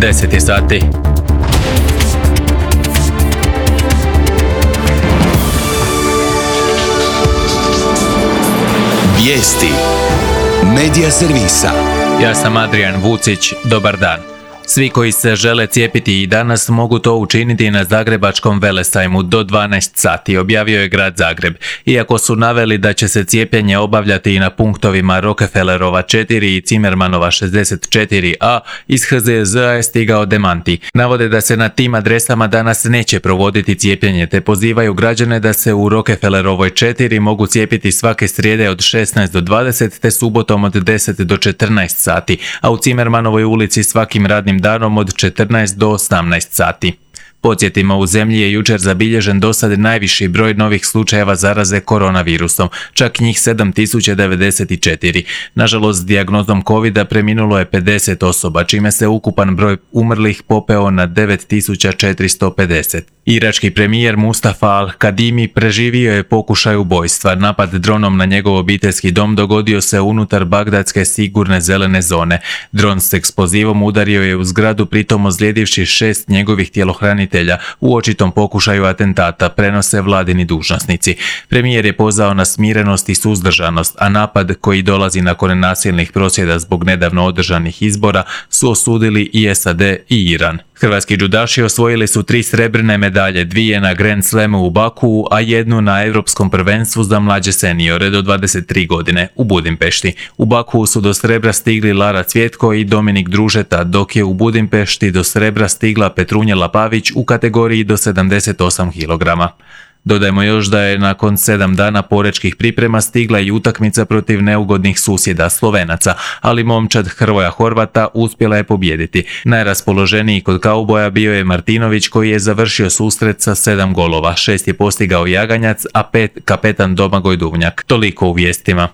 10 je sati. Vijesti Medija servisa. Ja sam Adrian Vucić, dobar dan. Svi koji se žele cijepiti i danas mogu to učiniti na Zagrebačkom velesajmu do 12 sati, objavio je grad Zagreb. Iako su naveli da će se cijepljenje obavljati i na punktovima Rockefellerova 4 i Zimmermanova 64a, iz HZZ-a je stigao demanti. Navode da se na tim adresama danas neće provoditi cijepljenje, te pozivaju građane da se u Rockefellerovoj 4 mogu cijepiti svake srijede od 16 do 20 te subotom od 10 do 14 sati, a u Zimmermanovoj ulici svakim radnim danom od 14 do 18 sati. Podsjetimo, u zemlji je jučer zabilježen dosad najviši broj novih slučajeva zaraze koronavirusom, čak njih 7094. Nažalost, dijagnozom covida preminulo je 50 osoba, čime se ukupan broj umrlih popeo na 9450. Irački premijer Mustafa al-Kadimi preživio je pokušaj ubojstva. Napad dronom na njegov obiteljski dom dogodio se unutar bagdadske sigurne zelene zone. Dron s eksplozivom udario je u zgradu, pritom ozlijedivši 6 njegovih tjelohranitelja u očitom pokušaju atentata, prenose vladini dužnosnici. Premijer je pozvao na smirenost i suzdržanost, a napad koji dolazi nakon nasilnih prosvjeda zbog nedavno održanih izbora su osudili i SAD i Iran. Hrvatski džudaši osvojili su 3 srebrne medalje, 2 na Grand Slamu u Bakuu, a 1 na Europskom prvenstvu za mlađe seniore do 23 godine u Budimpešti. U Bakuu su do srebra stigli Lara Cvjetko i Dominik Družeta, dok je u Budimpešti do srebra stigla Petrunjela Pavić u kategoriji do 78 kg. Dodajmo još da je nakon 7 dana porečkih priprema stigla i utakmica protiv neugodnih susjeda Slovenaca, ali momčad Hrvoja Horvata uspjela je pobijediti. Najraspoloženiji kod kauboja bio je Martinović, koji je završio susret sa 7 golova, 6 je postigao Jaganjac, a 5 kapetan Domagoj Duvnjak. Toliko u vijestima.